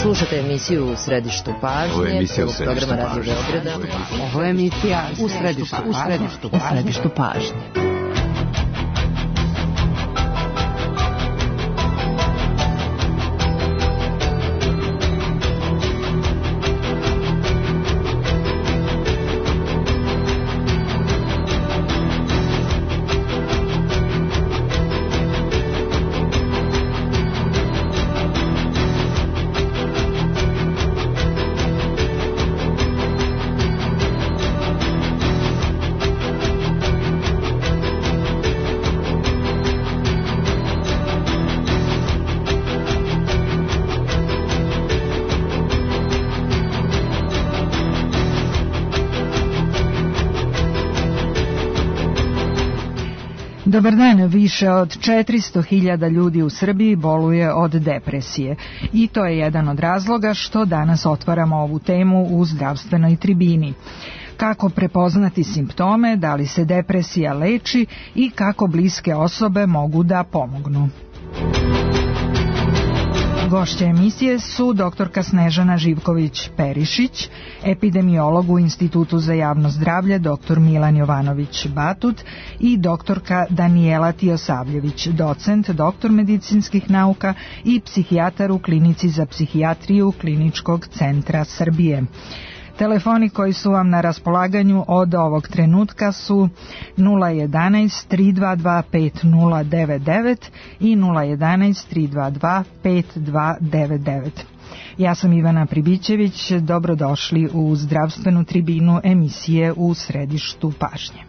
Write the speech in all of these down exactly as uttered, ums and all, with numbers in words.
Slušate emisiju U središtu pažnje. Ovo je emisija U središtu pažnje. Ovo je emisija U središtu pažnje. U središtu pažnje. Dobar dan, više od četiristo hiljada ljudi u Srbiji boluje od depresije i to je jedan od razloga što danas otvaramo ovu temu u zdravstvenoj tribini. Kako prepoznati simptome, da li se depresija leči i kako bliske osobe mogu da pomognu. Gošće emisije su doktorka Snežana Živković-Perišić, epidemiolog u Institutu za javno zdravlje doktor Milan Jovanović-Batut i doktorka Danijela Tijosavljević, docent, doktor medicinskih nauka i psihijatar u Klinici za psihijatriju Kliničkog centra Srbije. Telefoni koji su vam na raspolaganju od ovog trenutka su nula jedanaest tri dva dva pet nula devet devet i nula jedanaest tri dva dva pet dva devet devet. Ja sam Ivana Pribićević, dobrodošli u zdravstvenu tribinu emisije U središtu pažnje.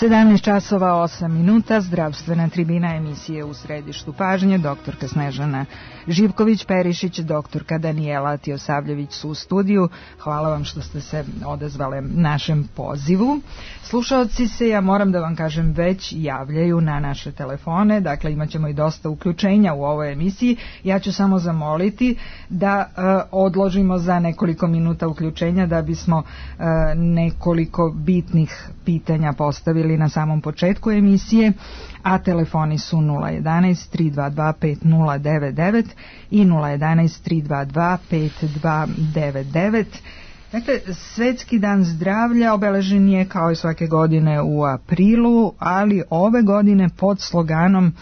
sedamnaest časova osam minuta, zdravstvena tribina emisije U središtu pažnje, doktorka Snežana Živković-Perišić, doktorka Danijela Tijosavljević su u studiju. Hvala vam što ste se odazvale našem pozivu. Slušaoci se, ja moram da vam kažem, već javljaju na naše telefone, dakle imat ćemo i dosta uključenja u ovoj emisiji. Ja ću samo zamoliti da e, odložimo za nekoliko minuta uključenja da bismo e, nekoliko bitnih pitanja postavili na samom početku emisije, a telefoni su nula jedanaest tri dva dva pet nula devet devet i nula jedanaest tri dva dva pet dva devet devet. Dakle, Svetski dan zdravlja obeležen je kao i svake godine u aprilu, ali ove godine pod sloganom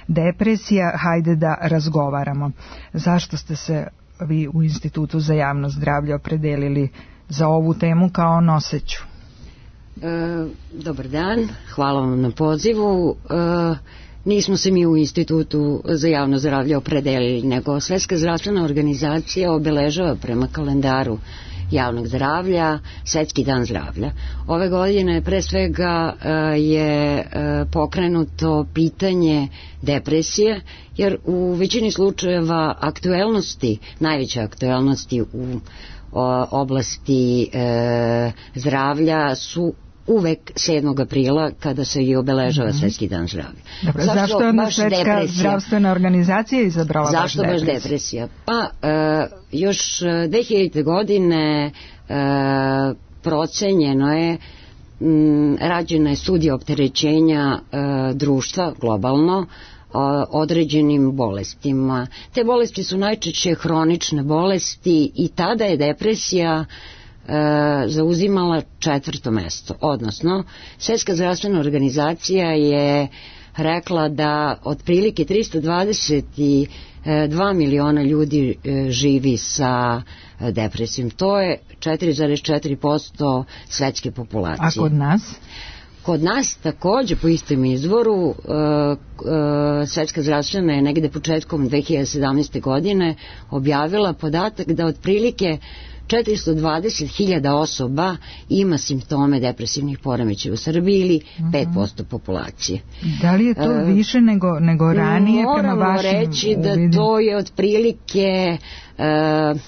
Depresija, hajde da razgovaramo. Zašto ste se vi u Institutu za javno zdravlje opredelili za ovu temu kao noseću? E, dobar dan, hvala vam na pozivu. E, nismo se mi u Institutu za javno zdravlje opredelili, nego Svetska zdravstvena organizacija obeležava prema kalendaru javnog zdravlja Svetski dan zdravlja. Ove godine pre svega je pokrenuto pitanje depresije, jer u većini slučajeva aktuelnosti, najveće aktuelnosti u oblasti zdravlja su uvek sedmog aprila kada se i obeležava mm-hmm. Svetski dan zdravlja. Dobro, zašto, zašto je onda Svetska depresija? Zdravstvena organizacija izabrala zašto baš depresija? Zašto baš depresija? Pa e, još dve hiljadite godine e, procenjeno je m, rađena je studija opterećenja e, društva globalno određenim bolestima. Te bolesti su najčešće hronične bolesti i tada je depresija e, zauzimala četvrto mesto. Odnosno, Svjetska zdravstvena organizacija je rekla da otprilike tristo dvadeset dva miliona ljudi e, živi sa depresijom. To je četiri zarez četiri posto svetske populacije. A kod nas? Kod nas takođe po istom izvoru uh, uh, Svetska zdravstvena je negde početkom dve hiljade sedamnaeste. godine objavila podatak da otprilike četiristo dvadeset hiljada osoba ima simptome depresivnih poremećaja u Srbiji ili pet posto populacije. Da li je to uh, više nego, nego ranije prema vašim moramo reći da uvidim? To je otprilike uh,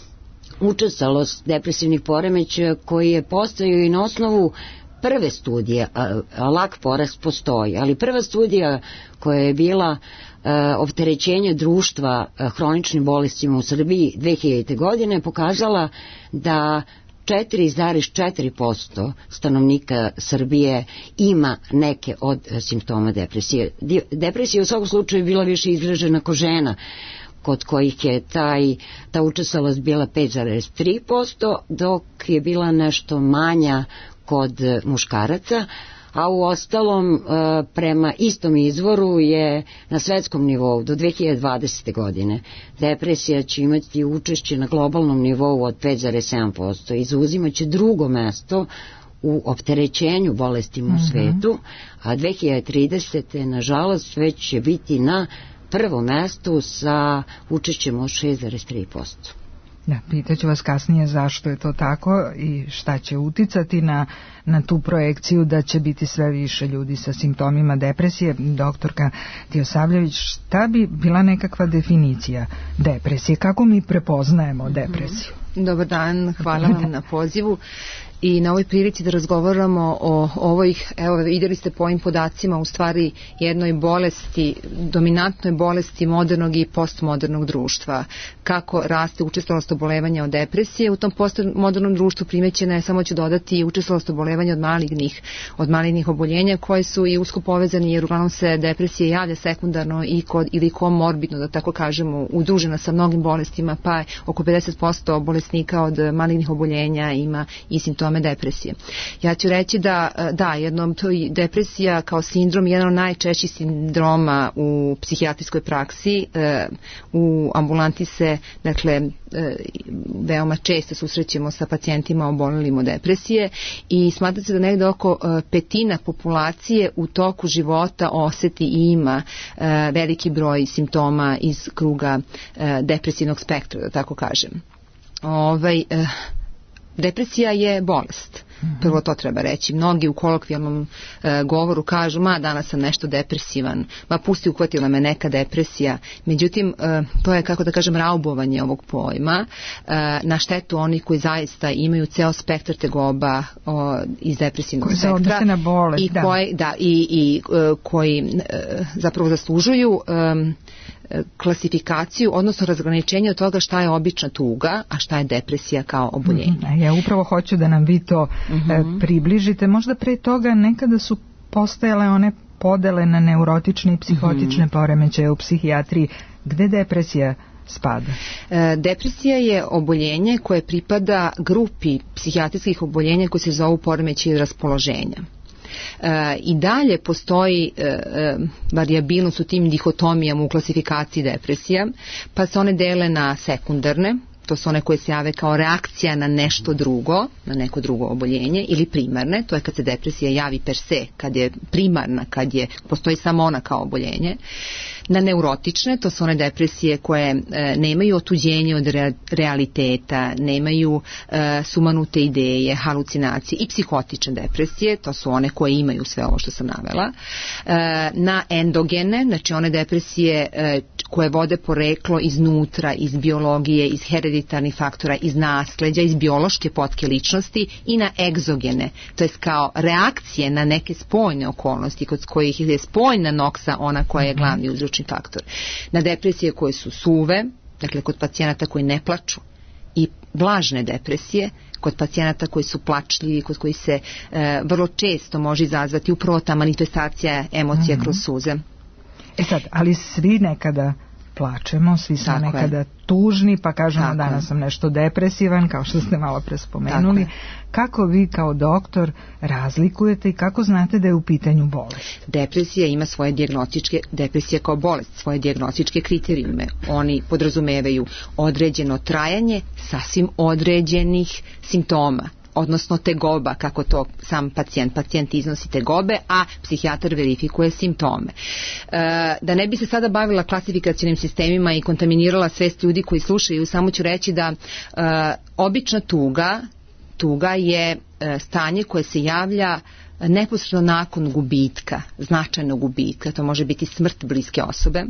učestalost depresivnih poremećaja koji je postojao i na osnovu prve studije, a, a lak porast postoji, ali prva studija koja je bila a, opterećenje društva a, hroničnim bolestima u Srbiji dve hiljadite. godine pokazala da četiri zarez četiri posto stanovnika Srbije ima neke od simptoma depresije. Depresija u svakom slučaju bila više izražena kod žena, kod kojih je taj, ta učestalost bila pet zarez tri posto, dok je bila nešto manja kod muškaraca, a u ostalom prema istom izvoru je na svetskom nivou do dve hiljade dvadesete. godine depresija će imati učešće na globalnom nivou od pet zarez sedam posto i zauzimaće drugo mesto u opterećenju bolestima u svetu, a dve hiljade tridesete. nažalost već će biti na prvom mestu sa učešćem od šest zarez tri posto. Da, pitaću vas kasnije zašto je to tako i šta će uticati na, na tu projekciju da će biti sve više ljudi sa simptomima depresije. Doktorka Tijosavljević, šta bi bila nekakva definicija depresije? Kako mi prepoznajemo depresiju? Dobar dan, hvala vam na pozivu i na ovoj prilici da razgovaramo o ovoj, evo vidjeli ste po ovim podacima, u stvari jednoj bolesti, dominantnoj bolesti modernog i postmodernog društva. Kako raste učestalost obolevanja od depresije, u tom postmodernom društvu primećena je, samo ću dodati, učestalost obolevanja od malignih, od malignih oboljenja koje su i usko povezani, jer uglavnom se depresija javlja sekundarno i kod, ili komorbidno, da tako kažemo, udružena sa mnogim bolestima, pa oko pedeset posto bolesnika od malignih oboljenja ima i simptome depresije. Ja ću reći da, da, jednom to je depresija kao sindrom jedan od najčešćih sindroma u psihijatrijskoj praksi. E, u ambulanti se, dakle, e, veoma često susrećemo sa pacijentima obolelim od depresije i smatra se da negde oko e, petina populacije u toku života oseti i ima e, veliki broj simptoma iz kruga e, depresivnog spektra, da tako kažem. Ovaj, e, depresija je bolest. Prvo to treba reći. Mnogi u kolokvijalnom e, govoru kažu, ma danas sam nešto depresivan, ma pusti, uhvatila me neka depresija. Međutim, e, to je, kako da kažem, raubovanje ovog pojma e, na štetu onih koji zaista imaju ceo spektar tegoba o, iz depresivnog koji spektra. Koji se odnose na bolest, i da. Koji, da, i, i e, koji e, zapravo zaslužuju e, klasifikaciju, odnosno razgraničenje od toga šta je obična tuga, a šta je depresija kao oboljenje. Mm-hmm. Ja upravo hoću da nam vi to mm-hmm. približite. Možda pre toga nekada su postojale one podele na neurotične i psihotične mm-hmm. poremećaje u psihijatriji. Gde depresija spada? E, depresija je oboljenje koje pripada grupi psihijatrijskih oboljenja koje se zovu poremećaji raspoloženja. E, i dalje postoji e, e, varijabilnost u tim dihotomijama u klasifikaciji depresija, pa se one dele na sekundarne, to su one koje se jave kao reakcija na nešto drugo, na neko drugo oboljenje, ili primarne, to je kad se depresija javi per se, kad je primarna, kad je, postoji samo ona kao oboljenje. Na neurotične, to su one depresije koje e, nemaju otuđenje od re, realiteta, nemaju e, sumanute ideje, halucinacije, i psihotične depresije, to su one koje imaju sve ovo što sam navela. E, na endogene, znači one depresije e, koje vode poreklo iznutra, iz biologije, iz hereditarnih faktora, iz nasleđa, iz biološke potke ličnosti, i na egzogene, to je kao reakcije na neke spoljne okolnosti kod kojih je spoljna noksa ona koja je glavni uzročni faktor. Na depresije koje su suve, dakle kod pacijenata koji ne plaču, i blažne depresije, kod pacijenata koji su plačljivi, kod koji se e, vrlo često može izazvati upravo ta manifestacija emocija mm-hmm. kroz suze. E sad, ali svi nekada plačemo, svi smo tako nekada je. tužni, pa kažemo tako danas je. sam nešto depresivan, kao što ste malo pre spomenuli. Kako vi kao doktor razlikujete i kako znate da je u pitanju bolest? Depresija ima svoje dijagnostičke, depresija kao bolest, svoje dijagnostičke kriterijume. Oni podrazumevaju određeno trajanje sasvim određenih simptoma, odnosno tegoba, kako to sam pacijent. Pacijent iznosi tegobe, a psihijatar verifikuje simptome. E, da ne bi se sada bavila klasifikacionim sistemima i kontaminirala svest ljudi koji slušaju, samo ću reći da e, obična tuga, tuga je e, stanje koje se javlja neposredno nakon gubitka, značajnog gubitka, to može biti smrt bliske osobe.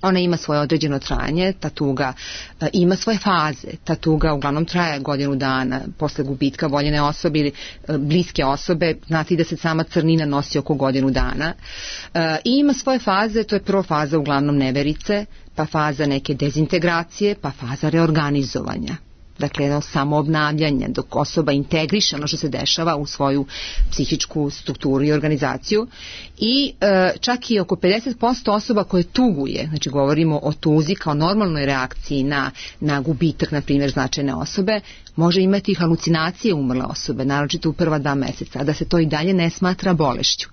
Ona ima svoje određeno trajanje, ta tuga e, ima svoje faze, ta tuga uglavnom traje godinu dana posle gubitka voljene osobe ili e, bliske osobe, znate da se sama crnina nosi oko godinu dana e, i ima svoje faze, to je prva faza uglavnom neverice, pa faza neke dezintegracije, pa faza reorganizovanja. Dakle, jedno samoobnavljanje, dok osoba integriše ono što se dešava u svoju psihičku strukturu i organizaciju. I e, čak i oko pedeset posto osoba koje tuguje, znači govorimo o tuzi kao normalnoj reakciji na, na gubitak, na primjer, značajne osobe, može imati halucinacije umrle osobe, naročito u prva dva meseca, a da se to i dalje ne smatra bolešću.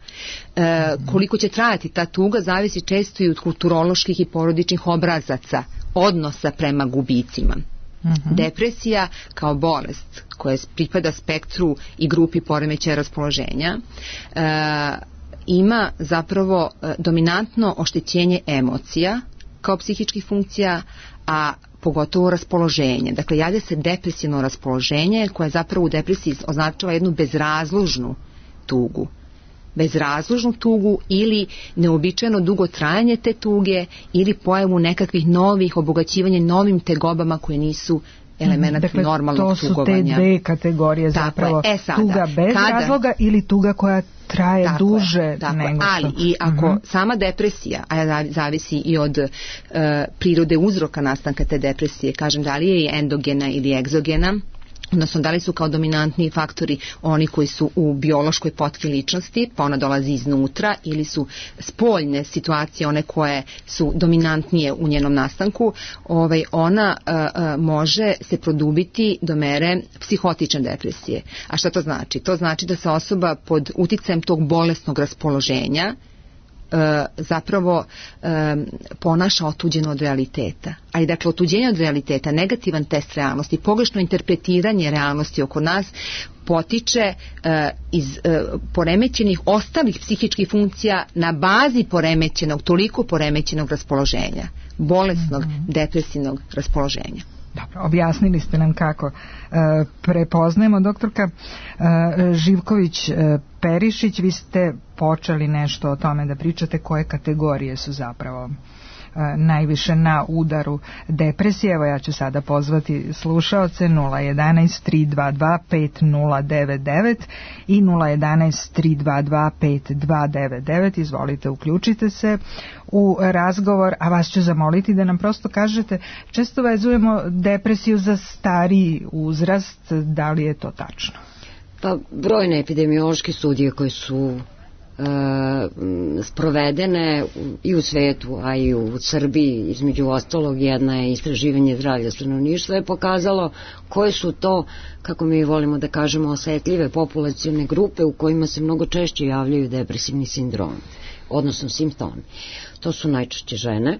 E, koliko će trajati ta tuga zavisi često i od kulturoloških i porodičnih obrazaca, odnosa prema gubicima. Uh-huh. Depresija kao bolest koja pripada spektru i grupi poremećaja raspoloženja e, ima zapravo e, dominantno oštećenje emocija kao psihičkih funkcija, a pogotovo raspoloženje. Dakle, javlja se depresivno raspoloženje koje zapravo u depresiji označava jednu bezrazložnu tugu. bezrazložnu tugu ili neobičajeno dugo trajanje te tuge ili pojavu nekakvih novih obogaćivanja novim tegobama koje nisu elemenat dakle, normalnog tugovanja. To su te dve kategorije zapravo, e, sada, tuga bez kada, razloga ili tuga koja traje tako duže je, tako nego što. Ali i ako uh-huh. sama depresija, a zavisi i od uh, prirode uzroka nastanka te depresije, kažem da li je endogena ili egzogena, odnosno da li su kao dominantni faktori oni koji su u biološkoj potki ličnosti, pa ona dolazi iznutra, ili su spoljne situacije one koje su dominantnije u njenom nastanku, ovaj, ona a, a, može se produbiti do mere psihotične depresije. A šta to znači? To znači da se osoba pod uticajem tog bolesnog raspoloženja E, zapravo e, ponaša otuđeno od realiteta. Ali dakle, otuđenje od realiteta, negativan test realnosti, pogrešno interpretiranje realnosti oko nas potiče e, iz e, poremećenih ostalih psihičkih funkcija na bazi poremećenog, toliko poremećenog raspoloženja, bolesnog, mm-hmm. depresivnog raspoloženja. Dobro, objasnili ste nam kako e, prepoznajemo. Doktorka e, Živković e, Perišić, vi ste počeli nešto o tome da pričate koje kategorije su zapravo e, najviše na udaru depresije. Evo ja ću sada pozvati slušaoce nula jedanaest tri dva dva pet nula devet devet i nula jedanaest tri dva dva pet dva devet devet. Izvolite, uključite se u razgovor, a vas ću zamoliti da nam prosto kažete, često vezujemo depresiju za stariji uzrast, da li je to tačno? Pa brojne epidemiološke studije koje su e, sprovedene i u svetu, a i u Srbiji, između ostalog jedna je istraživanje zdravlja stanovništva, je pokazalo koje su to, kako mi volimo da kažemo, osetljive populacione grupe u kojima se mnogo češće javljaju depresivni sindromi, odnosno simptomi. To su najčešće žene,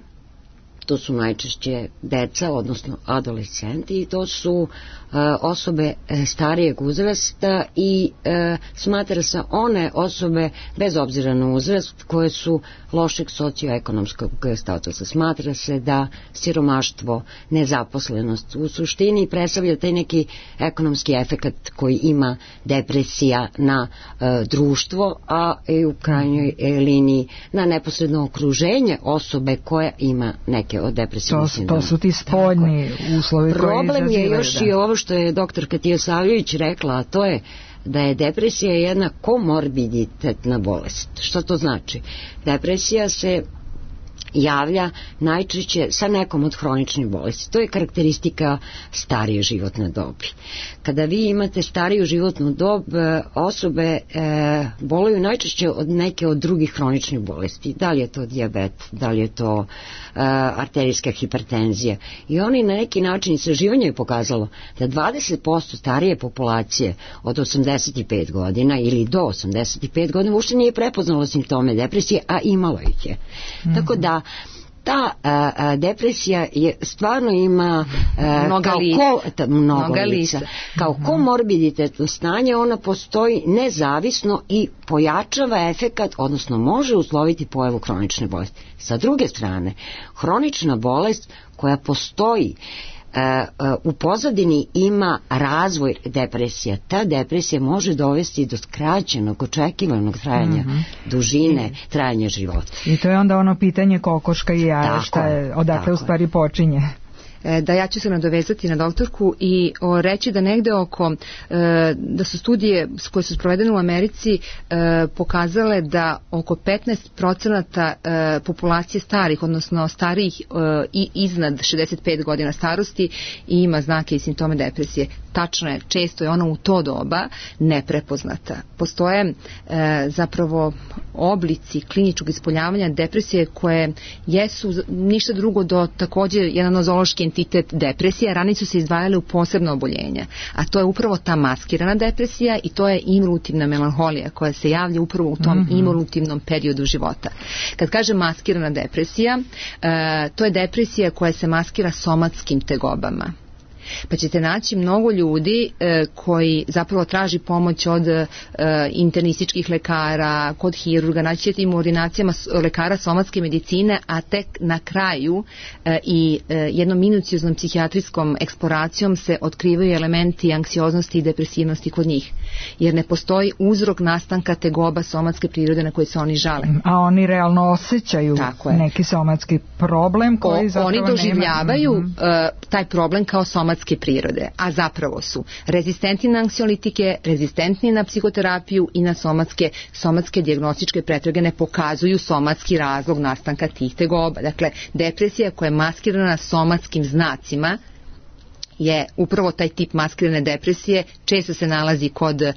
to su najčešće deca, odnosno adolescenti, i to su e, osobe e, starijeg uzrasta i e, smatra se one osobe, bez obzira na uzrast, koje su lošeg socioekonomskog statusa. Smatra se da siromaštvo, nezaposlenost u suštini predstavlja taj neki ekonomski efekat koji ima depresija na e, društvo, a i u krajnjoj e, liniji na neposredno okruženje osobe koja ima neke od depresivnih sindroma. To su ti spoljni uslovi koji izazivaju. Problem je još da. i ovo što je doktor Tijosavljević rekla, a to je da je depresija jedna komorbiditetna bolest. Što to znači? Depresija se javlja najčešće sa nekom od hroničnih bolesti. To je karakteristika starije životne dobi. Kada vi imate stariju životnu dob, osobe e, boluju najčešće od neke od drugih hroničnih bolesti. Da li je to dijabet, da li je to e, arterijska hipertenzija. I oni na neki način, istraživanje je pokazalo da dvadeset posto starije populacije od osamdeset pet godina ili do osamdeset pet godina uopšte nije prepoznalo simptome depresije, a imalo ih je. Mm-hmm. Tako da ta a, a, depresija je stvarno ima a, mnoga kao lica. Ko, ta, mnogo mnoga lica. lica. Kao mm-hmm. komorbiditetno stanje, ona postoji nezavisno i pojačava efekat, odnosno može usloviti pojavu hronične bolesti. Sa druge strane, hronična bolest koja postoji u pozadini ima razvoj depresija. Ta depresija može dovesti do skraćenog, očekivanog trajanja, mm-hmm. dužine trajanja života. I to je onda ono pitanje kokoška i jaja, šta je, odakle u stvari počinje. Da, ja ću se nadovezati na doktorku i o, reći da negde oko, e, da su studije koje su sprovedene u Americi e, pokazale da oko petnaest procenata e, populacije starih, odnosno starijih e, i iznad šezdeset pet godina starosti ima znake i simptome depresije. Tačno je, često je ona u to doba neprepoznata. Postoje e, zapravo oblici kliničkog ispoljavanja depresije koje jesu ništa drugo do također jedan nozološki entitet depresije, ranije su se izdvajale u posebno oboljenja, a to je upravo ta maskirana depresija i to je involutivna melanholija koja se javlja upravo u tom mm-hmm. involutivnom periodu života. Kad kažem maskirana depresija, e, to je depresija koja se maskira somatskim tegobama. Pa ćete naći mnogo ljudi e, koji zapravo traži pomoć od e, internističkih lekara, kod hirurga, naći ćete im u ordinacijama lekara somatske medicine, a tek na kraju e, i e, jednom minucioznom psihijatrijskom eksploracijom se otkrivaju elementi anksioznosti i depresivnosti kod njih. Jer ne postoji uzrok nastanka tegoba somatske prirode na koje se oni žale. A oni realno osjećaju neki somatski problem koji o, zapravo oni doživljavaju nema. uh, taj problem kao somatske prirode, a zapravo su rezistentni na anksiolitike, rezistentni na psihoterapiju i na somatske, somatske dijagnostičke pretrage ne pokazuju somatski razlog nastanka tih tegoba. Dakle, depresija koja je maskirana somatskim znacima je upravo taj tip maskirane depresije, često se nalazi kod e,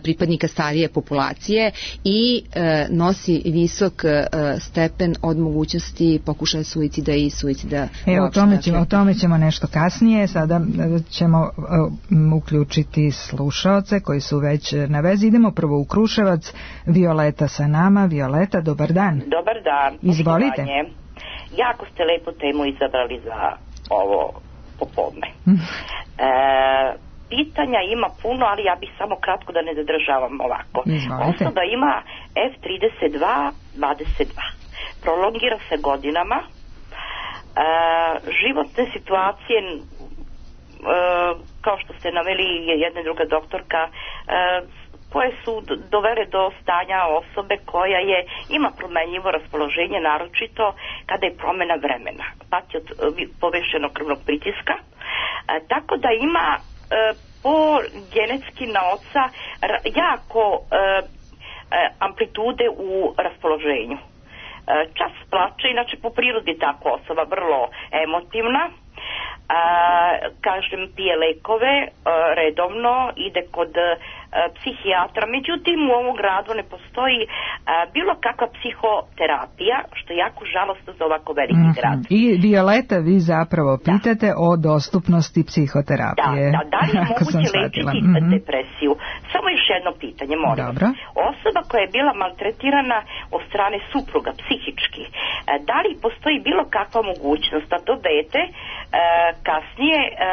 pripadnika starije populacije i e, nosi visok e, stepen od mogućnosti pokušaja suicida i suicida. E, o tome, ćemo, o tome ćemo nešto kasnije. Sada ćemo um, uključiti slušaoce koji su već na vezi. Idemo prvo u Kruševac. Violeta sa nama. Violeta, dobar dan. Dobar dan. Izvolite. Poštovanje. Jako ste lepu temu izabrali za ovo popodne. E, pitanja ima puno, ali ja bih samo kratko da ne zadržavam ovako. Izvolite. Osoba ima F trideset dva dvadeset dva. Prolongira se godinama. E, životne situacije, e, kao što ste naveli jedna i druga doktorka, e, koje su dovele do stanja osobe koja je ima promenljivo raspoloženje, naročito kada je promjena vremena, pati od povešenog krvnog pritiska, e, tako da ima e, po genetski na oca jako e, e, amplitude u raspoloženju. E, čas plače, inače po prirodi tako osoba vrlo emotivna, e, kažem pije lekove e, redovno, ide kod psihijatra, međutim u ovom gradu ne postoji a, bilo kakva psihoterapija, što je jako žalostno za ovako veliki mm-hmm. grad. I Violeta, vi zapravo pitate da. o dostupnosti psihoterapije. Da, da, da li je moguće lečiti mm-hmm. depresiju? Samo još jedno pitanje, molim. Dobro. Osoba koja je bila maltretirana od strane supruga psihički, a, da li postoji bilo kakva mogućnost da to dete a, kasnije a, a,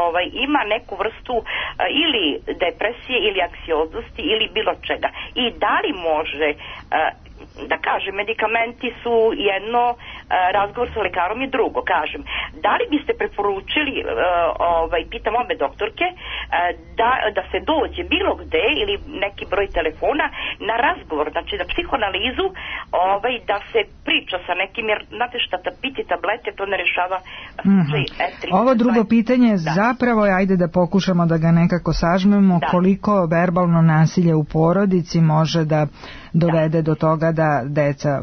ovaj, ima neku vrstu a, ili depresije ili anksioznosti ili bilo čega. I da li može, da kažem, medikamenti su jedno, razgovor sa lekarom je drugo, kažem. Da li biste preporučili, ovaj, pitam obe doktorke, da, da se dođe bilo gde ili neki broj telefona na razgovor, znači na psihoanalizu, ovaj, da se priča sa nekim, jer znate šta, da piti tablete, to ne rešava slučaj F trideset dva. Ovo drugo pitanje da. zapravo je, ajde da pokušamo da ga nekako sažmemo, da. koliko verbalno nasilje u porodici može da dovede do toga da deca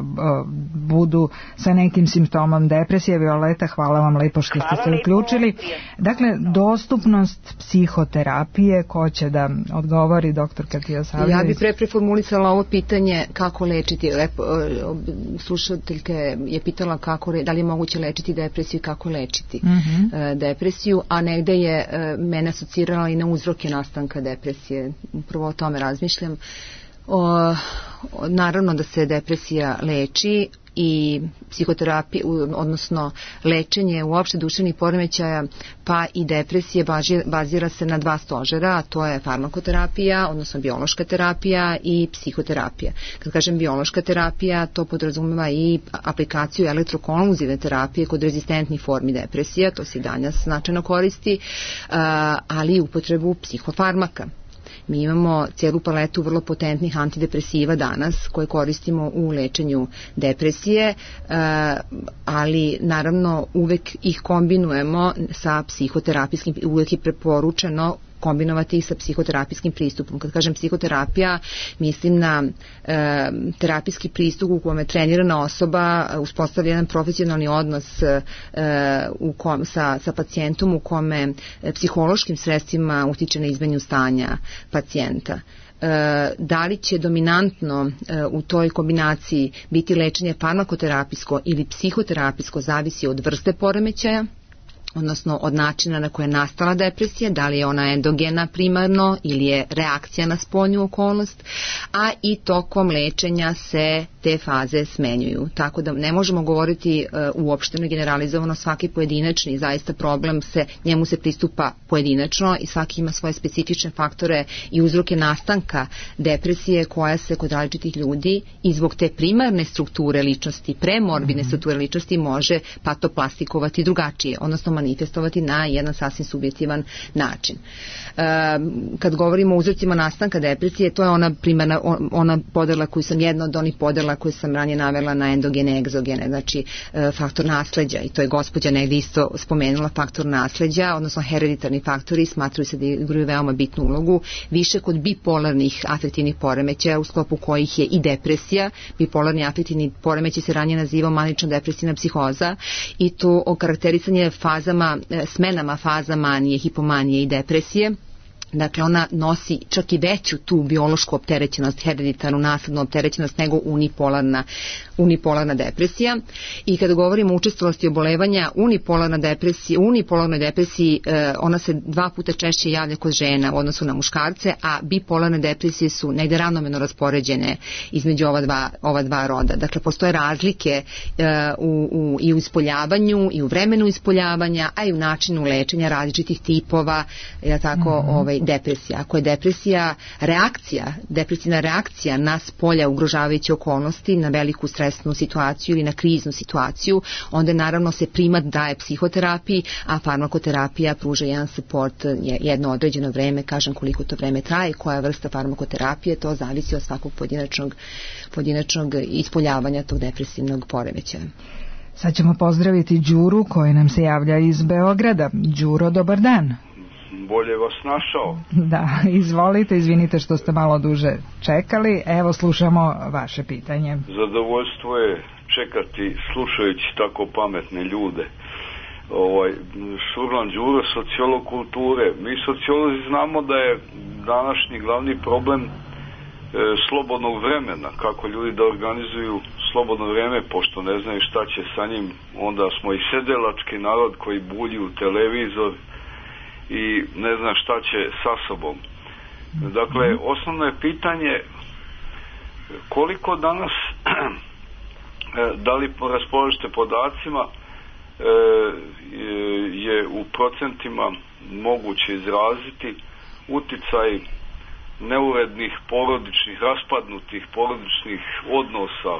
budu sa nekim simptomom depresije. Violeta, hvala vam lepo što ste se uključili. Dakle, dostupnost psihoterapije, ko će da odgovori, doktor Katijasavljević? Ja bih pre preformulisala ovo pitanje kako lečiti. Slušateljka je pitala kako, da li je moguće lečiti depresiju i kako lečiti uh-huh. depresiju, a negde je mene asocirala i na uzroke nastanka depresije. Upravo o tome razmišljam. O, naravno da se depresija leči i psihoterapija, odnosno lečenje uopšte duševnih poremećaja pa i depresije bazira se na dva stožera, a to je farmakoterapija, odnosno biološka terapija i psihoterapija. Kad kažem biološka terapija, to podrazumeva i aplikaciju elektrokonvulzivne terapije kod rezistentnih formi depresija, to se i danas značajno koristi, ali i upotrebu psihofarmaka. Mi imamo cijelu paletu vrlo potentnih antidepresiva danas koje koristimo u lečenju depresije, ali naravno uvek ih kombinujemo sa psihoterapijskim, uvek je preporučeno kombinovati ih sa psihoterapijskim pristupom. Kad kažem psihoterapija, mislim na e, terapijski pristup u kome trenirana osoba uspostavlja jedan profesionalni odnos e, u kom, sa, sa pacijentom u kome e, psihološkim sredstvima utiče na izmenju stanja pacijenta. E, da li će dominantno e, u toj kombinaciji biti lečenje farmakoterapijsko ili psihoterapijsko zavisi od vrste poremećaja, odnosno od načina na koje je nastala depresija, da li je ona endogena primarno ili je reakcija na spoljnu okolnost, a i tokom lečenja se te faze smenjuju. Tako da ne možemo govoriti uh, uopšteno i generalizovano, svaki pojedinačni zaista problem se, njemu se pristupa pojedinačno i svaki ima svoje specifične faktore i uzroke nastanka depresije koja se kod različitih ljudi i zbog te primarne strukture ličnosti, premorbidne mm-hmm. strukture ličnosti može patoplastikovati drugačije, odnosno manifestovati na jedan sasvim subjektivan način. E, kad govorimo o uzrocima nastanka depresije, to je ona primarna, ona podela koju sam, jedna od onih podela koju sam ranije navela na endogene, egzogene, znači e, faktor nasleđa, i to je gospođa negdje isto spomenula faktor nasleđa, odnosno hereditarni faktori smatruju se da igraju veoma bitnu ulogu, više kod bipolarnih afektivnih poremećaja u sklopu kojih je i depresija. Bipolarni afektivni poremećaj se ranije nazivao manično depresivna psihoza i to okarakterisanje fazama, smenama faza manije, hipomanije i depresije. Dakle, ona nosi čak i veću tu biološku opterećenost, hereditarnu naslednu opterećenost nego unipolarna, unipolarna depresija. I kada govorimo o učestalosti obolevanja, unipolarna depresija, unipolarnoj depresiji eh, ona se dva puta češće javlja kod žena u odnosu na muškarce, a bipolarne depresije su negde ravnomerno raspoređene između ova dva, ova dva roda. Dakle, postoje razlike eh, u, u, i u ispoljavanju i u vremenu ispoljavanja, a i u načinu lečenja različitih tipova, ja tako, mm-hmm. ovaj, depresija. Ako je depresija reakcija, depresivna reakcija na spolja ugrožavajuće okolnosti, na veliku stresnu situaciju ili na kriznu situaciju, onda naravno se primat daje psihoterapiji, a farmakoterapija pruža jedan suport jedno određeno vreme, kažem koliko to vreme traje, koja vrsta farmakoterapije, to zavisi od svakog pojedinačnog, pojedinačnog ispoljavanja tog depresivnog poremećaja. Sad ćemo pozdraviti Đuru koji nam se javlja iz Beograda. Đuro, dobar dan. Bolje vas našao. Da, izvolite, izvinite što ste malo duže čekali. Evo, slušamo vaše pitanje. Zadovoljstvo je čekati slušajući tako pametne ljude. Ovaj, Šurlan Đuro, sociolog kulture. Mi sociolozi znamo da je današnji glavni problem e, slobodnog vremena, kako ljudi da organizuju slobodno vreme, pošto ne znaju šta će sa njim. Onda smo i sedelački narod koji bulji u televizor i ne zna šta će sa sobom. Dakle, osnovno je pitanje koliko danas da li raspolažete podacima je u procentima moguće izraziti uticaj neurednih porodičnih, raspadnutih porodičnih odnosa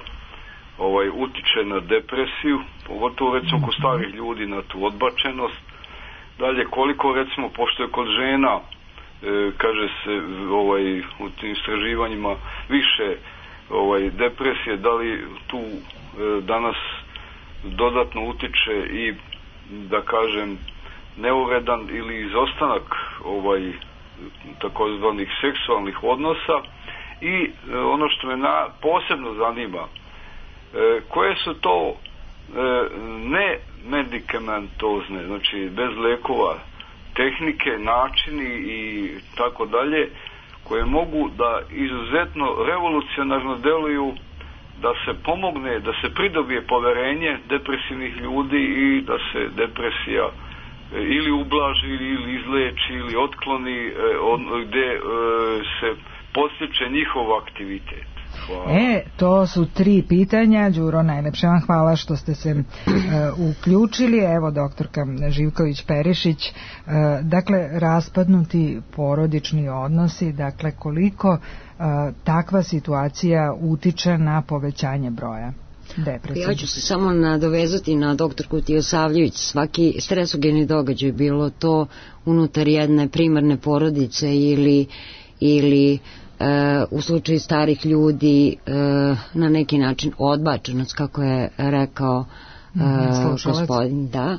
ovaj, utiče na depresiju, pogotovo recimo kod starih ljudi na tu odbačenost. Dalje, koliko recimo, pošto je kod žena, e, kaže se ovaj, u tim istraživanjima više ovaj, depresije, da li tu e, danas dodatno utiče i, da kažem, neuredan ili izostanak ovaj, takozvanih seksualnih odnosa I e, ono što me na, posebno zanima, e, koje su to e, ne medikamentozne, znači bez lekova, tehnike, načini i tako dalje, koje mogu da izuzetno revolucionarno deluju da se pomogne, da se pridobije poverenje depresivnih ljudi i da se depresija ili ublaži ili izleči ili otkloni, gde se podstiče njihov aktivitet. Hvala. E, to su tri pitanja. Đuro, najlepše vam hvala što ste se uh, uključili. Evo, doktorka Živković-Perišić, uh, dakle, raspadnuti porodični odnosi, dakle, koliko uh, takva situacija utiče na povećanje broja depresije? Ja ću se samo nadovezati na doktorku Tijosavljević. Svaki stresogeni događaj, bilo to unutar jedne primarne porodice ili, ili Uh, u slučaju starih ljudi uh, na neki način odbačenost, kako je rekao uh, gospodin, da,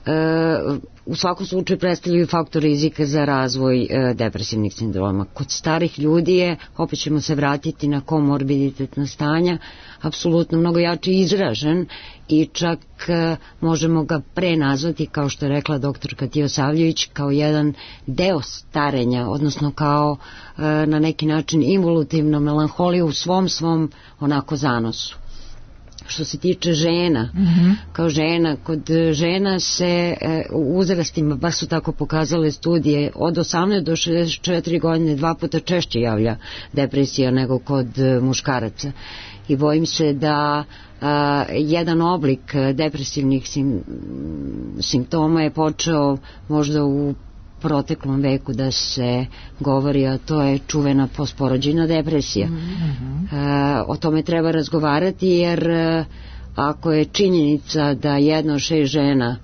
uh, u svakom slučaju predstavljaju faktor rizika za razvoj uh, depresivnih sindroma. Kod starih ljudi je, opet ćemo se vratiti na komorbiditetna stanja, apsolutno mnogo jače izražen i čak uh, možemo ga prenazvati, kao što je rekla doktorka Tijosavljević, kao jedan deo starenja, odnosno kao uh, na neki način involutivno melanholiju u svom svom onako zanosu. Što se tiče žena, mm-hmm. kao žena, kod žena se e, u uzrastima, baš su tako pokazale studije, od osamnaeste do šezdeset četiri godine dva puta češće javlja depresija nego kod e, muškaraca. I bojim se da a, jedan oblik depresivnih sim, simptoma je počeo možda u proteklom veku da se govori, a to je čuvena postporođajna depresija. Mm-hmm. E, o tome treba razgovarati, jer e, ako je činjenica da jedna od šest žena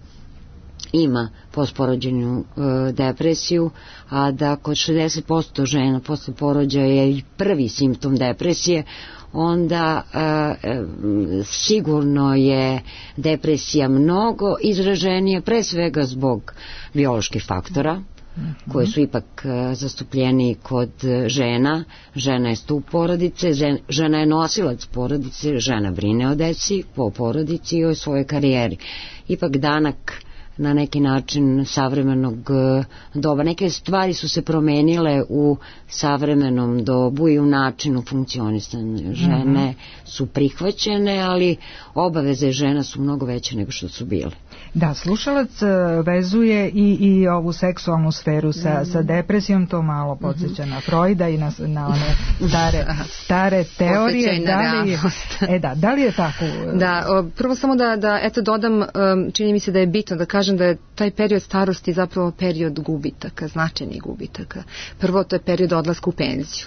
ima postporođajnu e, depresiju, a da kod šezdeset posto žena posle porođaja je prvi simptom depresije, onda e, sigurno je depresija mnogo izraženija, pre svega zbog bioloških faktora, koji su ipak e, zastupljeni kod žena. Žena je stup porodice, žena je nosilac porodice, žena brine o deci, po porodici i o svojoj karijeri. Ipak danak na neki način savremenog doba. Neke stvari su se promenile u savremenom dobu i u načinu funkcionisanja. Žene mm-hmm. su prihvaćene, ali obaveze žena su mnogo veće nego što su bile. Da, slušalac vezuje i, i ovu seksualnu sferu sa, mm. sa depresijom, to malo podsjeća mm-hmm. na Freuda i na, na one stare, stare teorije. Da li je, e da, da li je tako? Da, o, prvo samo da, da eto dodam, um, čini mi se da je bitno da kažem da je taj period starosti zapravo period gubitaka, značajnih gubitaka. Prvo, to je period odlaska u penziju,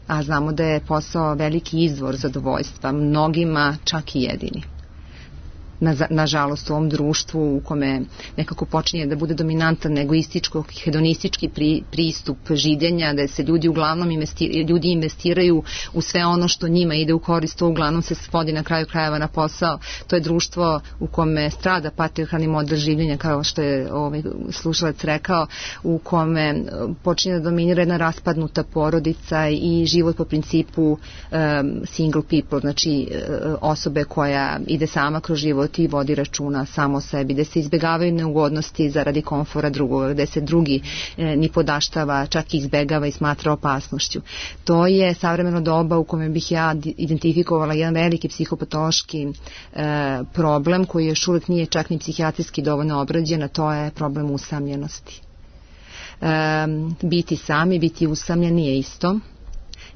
a znamo da je posao veliki izvor zadovoljstva, mnogima čak i jedini. Na, nažalost u ovom društvu u kome nekako počinje da bude dominantan egoističko, hedonistički pri, pristup življenja, da se ljudi uglavnom investiraju, ljudi investiraju u sve ono što njima ide u korist, to uglavnom se svodi na kraju krajeva na posao. To je društvo u kome strada patrijarhalni model življenja, kao što je ovaj slušalac rekao, u kome počinje da dominira jedna raspadnuta porodica i život po principu um, single people, znači uh, osobe koja ide sama kroz život i vodi računa samo o sebi, gde se izbegavaju neugodnosti zaradi komfora drugoga, gde se drugi e, ni podaštava, čak i izbegava i smatra opasnošću. To je savremeno doba u kome bih ja identifikovala jedan veliki psihopatološki e, problem koji još uvijek nije čak ni psihijatrijski dovoljno obrađen, a to je problem usamljenosti. E, biti sami, biti usamljen nije isto.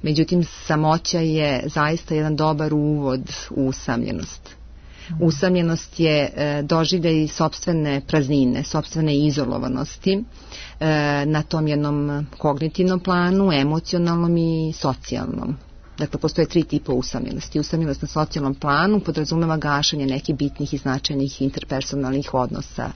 Međutim, samoća je zaista jedan dobar uvod u usamljenost. Usamljenost je e, doživljaj sopstvene praznine, sopstvene izolovanosti e, na tom jednom kognitivnom planu, emocionalnom i socijalnom. Dakle, postoje tri tipa usamljenosti. Usamljenost na socijalnom planu podrazumeva gašenje nekih bitnih i značajnih interpersonalnih odnosa,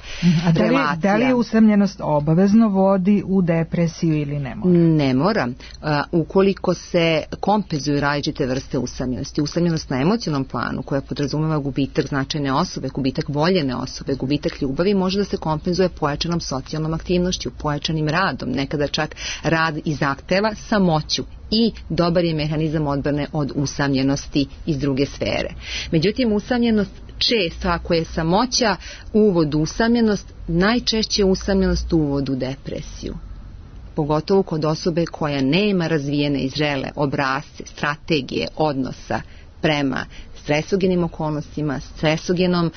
a da li, relacija. Da li je usamljenost obavezno vodi u depresiju ili ne mora? Ne mora. Uh, ukoliko se kompenzuju različite vrste usamljenosti. Usamljenost na emocionalnom planu, koja podrazumeva gubitak značajne osobe, gubitak voljene osobe, gubitak ljubavi, može da se kompenzuje pojačanom socijalnom aktivnošću, pojačanim radom. Nekada čak rad i zahteva samoću i dobar je mehanizam odbrane od usamljenosti iz druge sfere. Međutim, usamljenost često, ako je samoća uvod u usamljenost, najčešće usamljenost uvod u depresiju. Pogotovo kod osobe koja nema razvijene i zrele obrasce, strategije odnosa prema stresogenim okolnostima, stresogenom e,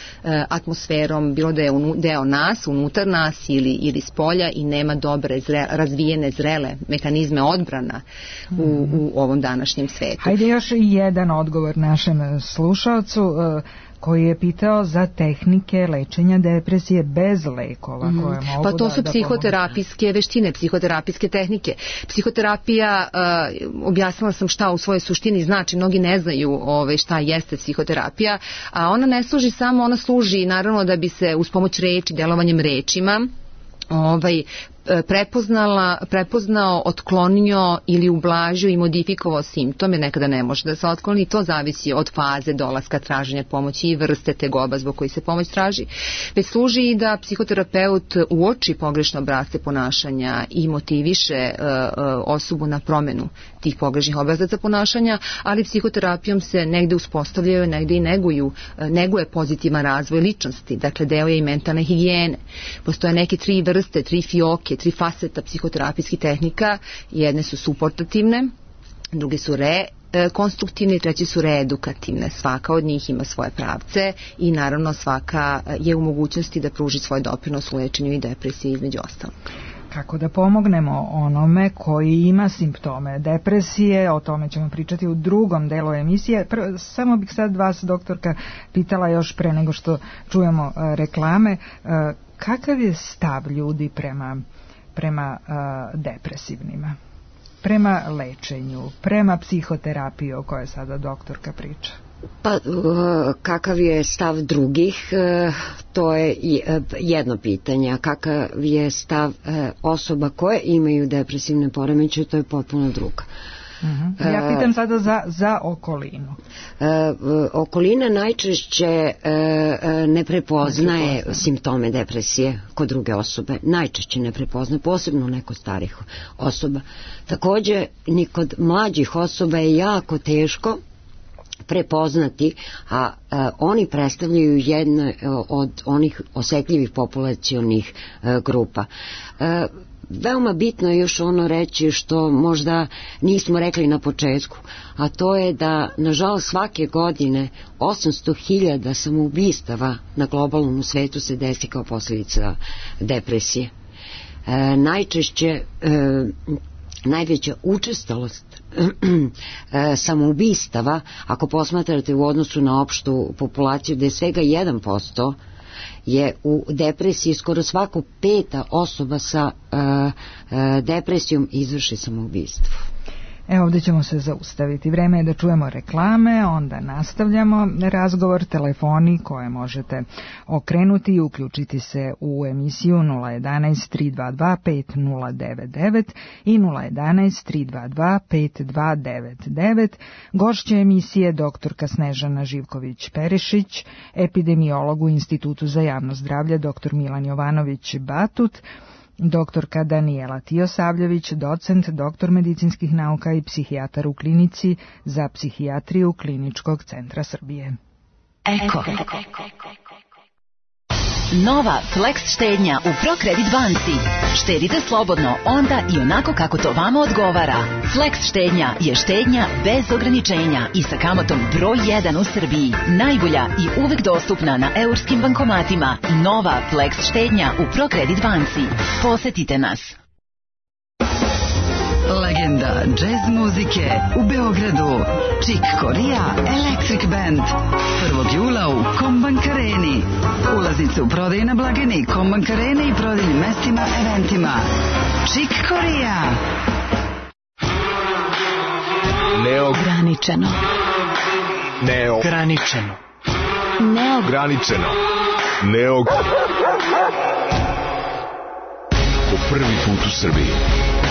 atmosferom, bilo da je unu, deo nas, unutar nas ili, ili spolja i nema dobre, zre, razvijene, zrele mehanizme odbrana u, u ovom današnjem svetu. Hajde još jedan odgovor našem slušalcu e, koji je pitao za tehnike lečenja depresije bez lekova mm. koje mogu pa to da, su da psihoterapijske pomogu. Veštine, psihoterapijske tehnike. Psihoterapija, uh, objasnila sam šta u svojoj suštini znači, mnogi ne znaju ove, šta jeste psihoterapija, a ona ne služi samo, ona služi naravno da bi se uz pomoć reči, delovanjem rečima ovaj prepoznala, prepoznao, otklonio ili ublažio i modifikovao simptome, nekada ne može da se otkloni, to zavisi od faze dolaska traženja pomoći i vrste tegoba zbog koji se pomoć traži. Već služi i da psihoterapeut uoči pogrešne obrasce ponašanja i motiviše uh, uh, osobu na promenu tih pogrešnih obrazaca ponašanja, ali psihoterapijom se negde uspostavljaju, negde i neguju, uh, neguje pozitivan razvoj ličnosti, dakle deo je i mentalne higijene. Postoje neke tri vrste, tri fioke, tri faceta psihoterapijskih tehnika, jedne su suportativne, druge su re konstruktivne i treće su reedukativne. Svaka od njih ima svoje pravce i naravno svaka je u mogućnosti da pruži svoj doprinos u lečenju i depresiji između ostalog. Kako da pomognemo onome koji ima simptome depresije, o tome ćemo pričati u drugom delu emisije. Prvo, samo bih sad vas, doktorka, pitala još pre nego što čujemo uh, reklame, uh, kakav je stav ljudi prema, prema uh, depresivnima, prema lečenju, prema psihoterapiji o kojoj sada doktorka priča? Pa kakav je stav drugih, to je jedno pitanje, a kakav je stav osoba koje imaju depresivne poremećaje, to je potpuno drugo. Uh-huh. Ja pitam sada za, za okolinu. E, okolina najčešće e, ne prepoznaje ne prepoznaje simptome depresije kod druge osobe. Najčešće ne prepoznaje, posebno neko starih osoba. Takođe, ni kod mlađih osoba je jako teško prepoznati, a, a oni predstavljaju jedno od onih osetljivih populacionih a, grupa. A, veoma bitno je još ono reći što možda nismo rekli na početku, a to je da nažalost svake godine osamsto hiljada samoubistava na globalnom svetu se desi kao posljedica depresije. E, najčešće e, najveća učestalost samoubistava, ako posmatrate u odnosu na opštu populaciju, da je svega jedan posto je u depresiji, skoro svako peta osoba sa uh, uh, depresijom izvrši samoubistvo. Evo, ovdje ćemo se zaustaviti. Vreme je da čujemo reklame, onda nastavljamo razgovor, telefoni koje možete okrenuti i uključiti se u emisiju nula jedan tri dva dva pet nula devet devet i nula jedan tri dva dva pet dva devet devet. Gošća emisije doktorka Snežana Živković-Perišić, epidemiolog u Institutu za javno zdravlje doktor Milan Jovanović-Batut, doktorka Danijela Tijosavljević, docent, doktor medicinskih nauka i psihijatar u klinici za psihijatriju Kliničkog centra Srbije. Eko. Nova Flex štednja u ProCredit banci. Štedite slobodno onda i onako kako to vama odgovara. Flex štednja je štednja bez ograničenja i sa kamatom broj jedan u Srbiji. Najbolja i uvek dostupna na eurskim bankomatima. Nova Flex štednja u ProCredit banci. Posetite nas. Legenda džez muzike u Beogradu. Chick Corea Electric Band. prvog jula u Kombank Areni. Ulaznice u prodaju na blagajni Kombank Arene i prodajnim mestima, eventima. Chick Corea. Neograničeno. Neograničeno. Neograničeno. Neog... Po prvi put u Srbiji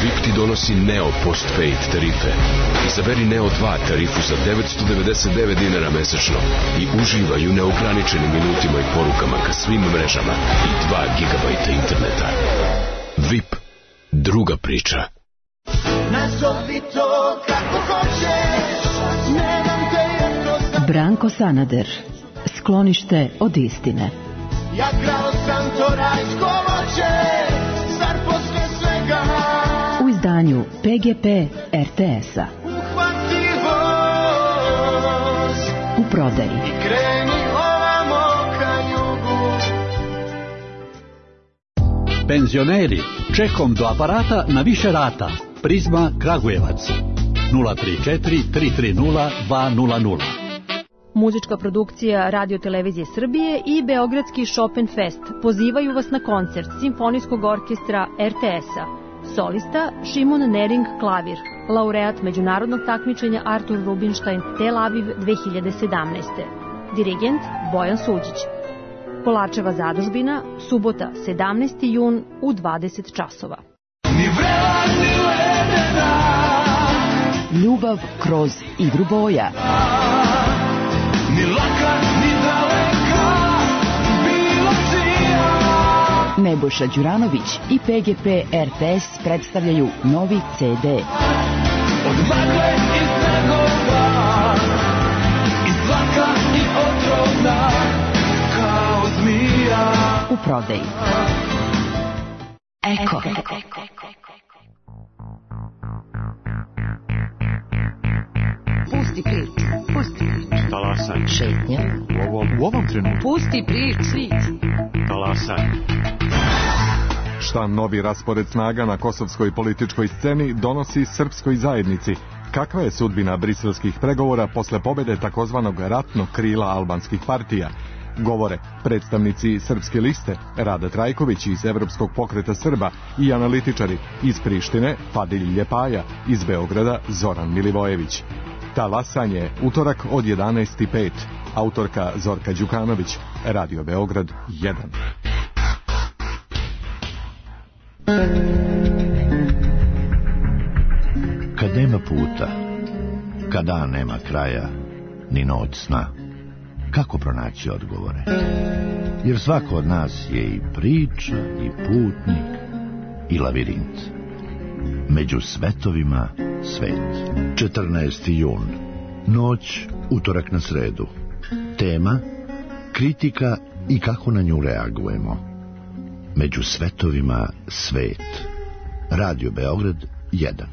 V I P ti donosi Neo Postpaid tarife. Izaberi Neo dva tarifu za devetsto devedeset devet dinara mesečno i uživaj u neograničenim minutima i porukama ka svim mrežama i dva gigabajta interneta. V I P. Druga priča. nazovi to kako hoćeš, nemam te jednostavno. Branko Sanader, Sklonište od istine. Ja krao sam to rajsko voće, zar posle svega u izdanju P G P R T S-a. Uhvati voz u prodaji i kreni ovamo ka jugu. Penzioneri, čekom do aparata na više rata. Prizma Kragujevac nula tri četiri tri tri nula dva nula nula. Muzička produkcija Radio Televizije Srbije i Beogradski Chopin Fest pozivaju vas na koncert Simfonijskog orkestra R T S-a. Solista Šimon Nering klavir, laureat međunarodnog takmičenja Artur Rubinstein Tel Aviv dve hiljade sedamnaeste. Dirigent Bojan Suđić. Kolarčeva zadužbina, subota sedamnaesti jun u dvadeset časova. Ljubav kroz igru boja. Ni laka, ni daleka, bilo čija. Nebojša Đuranović i P G P R T S predstavljaju novi C D. Od magle i snegova, i zlaka i otrovna, kao zmija. U prodaji Eko. Pusti priču, pusti priču. Talasaj. Šetnja. U ovom, u ovom trenutku. Pusti priču. Talasaj. Šta novi raspored snaga na kosovskoj političkoj sceni donosi srpskoj zajednici? Kakva je sudbina briselskih pregovora posle pobede takozvanog ratnog krila albanskih partija? Govore predstavnici Srpske liste Rada Trajković iz Evropskog pokreta Srba i analitičari iz Prištine Fadil Ljepaja, iz Beograda Zoran Milivojević. Talasanje, utorak od jedanaest i pet. Autorka Zorka Đukanović, Radio Beograd jedan. Kad nema puta, kad dan nema kraja, ni noć sna, kako pronaći odgovore? Jer svako od nas je i priča, i putnik, i lavirint. Među svetovima svet. četrnaesti jun. Noć, utorak na sredu. Tema, kritika i kako na nju reagujemo. Među svetovima svet. Radio Beograd jedan.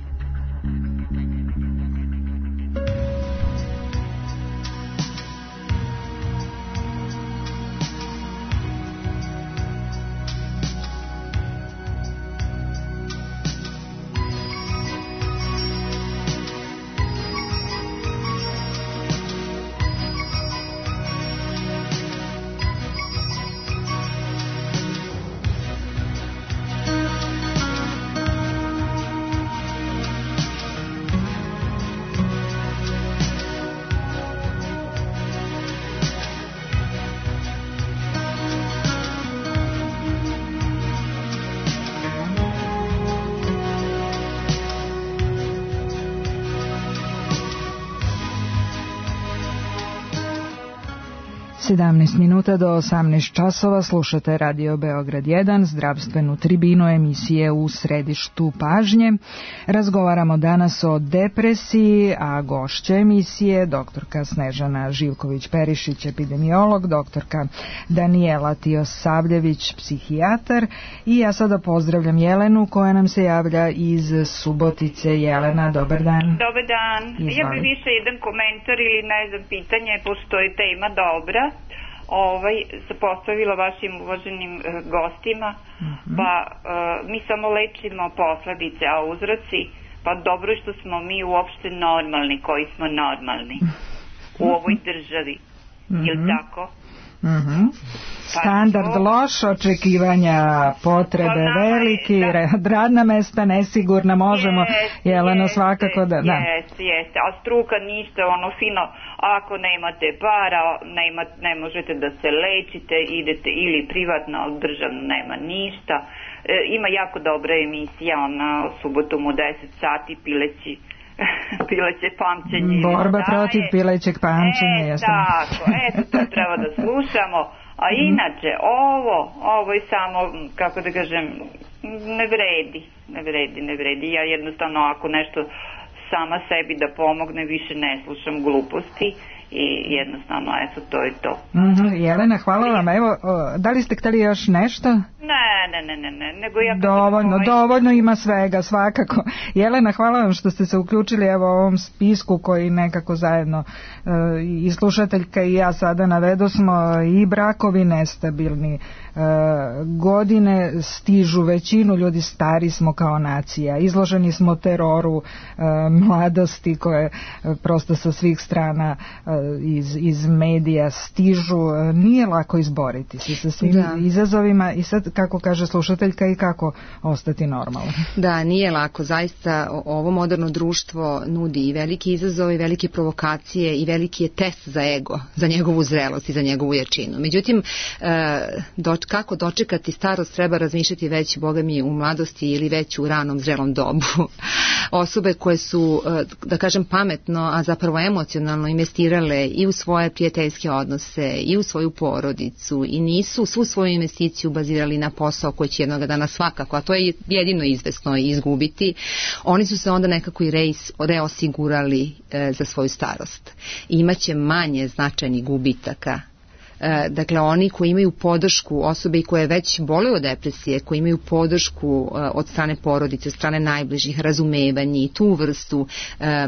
sedamnaest minuta do osamnaest časova slušate Radio Beograd jedan, zdravstvenu tribinu emisije u središtu pažnje. Razgovaramo danas o depresiji, a gošća emisije doktorka Snežana Živković-Perišić, epidemiolog, doktorka Danijela Tiosavljević, psihijatar, i ja sada pozdravljam Jelenu koja nam se javlja iz Subotice. Jelena, dobar dan. Dobar dan. Izvali. Ja bih više jedan komentar ili ne znam pitanje, pošto je tema dobra. Ovaj, se postavila vašim uvaženim uh, gostima, mm-hmm. pa uh, mi samo lečimo posledice, a uzroci, pa dobro što smo mi uopšte normalni, koji smo normalni mm-hmm. u ovoj državi, mm-hmm. je li tako? Mm-hmm. Standard pa, loš, očekivanja, potrebe pa, veliki, da. Radna mesta nesigurna, možemo, jest, Jeleno, jeste, svakako da... da. Jeste, jeste, a struka ništa, ono fino, ako nemate para, nema, ne možete da se lečite, idete ili privatno, ali državno nema ništa. E, ima jako dobra emisija, ona subotom u deset sati, pileći pileće pamćenje. Borba protiv pilećeg pamćenja. E, tako, eto, to treba da slušamo. A inače, ovo, ovo je samo, kako da kažem, ne vredi, ne vredi, ne vredi. Ja jednostavno ako nešto sama sebi da pomogne, više ne slušam gluposti i jednostavno, eto, to je to. Mm-hmm. Jelena, hvala vam. Evo, o, da li ste hteli još nešto? Ne, ne, ne, ne, ne, nego ja... Dovoljno, ovaj... dovoljno ima svega, svakako. Jelena, hvala vam što ste se uključili evo u ovom spisku koji nekako zajedno e, i slušateljka i ja sada navedo smo i brakovi nestabilni, e, godine stižu većinu ljudi, stari smo kao nacija, izloženi smo teroru e, mladosti koje e, prosto sa svih strana e, iz, iz medija stižu, e, nije lako izboriti se sa svim da. izazovima i sad kako kaže slušateljka i kako ostati normalno. Da, nije lako, zaista ovo moderno društvo nudi i veliki izazov i velike provokacije i veliki je test za ego, za njegovu zrelost i za njegovu jačinu. Međutim, do, kako dočekati starost treba razmišljati već, boga mi, u mladosti ili već u ranom zrelom dobu. Osobe koje su, da kažem, pametno, a zapravo emocionalno investirale i u svoje prijateljske odnose i u svoju porodicu i nisu svu svoju investiciju bazirali na posao koji će jednog dana svakako, a to je jedino izvesno izgubiti, oni su se onda nekako i reis, reosigurali e, za svoju starost. I imaće manje značajnih gubitaka. E, dakle, oni koji imaju podršku, osobe koje već boluju od depresije, koji imaju podršku e, od strane porodice, od strane najbližih, razumevanje i tu vrstu e, e,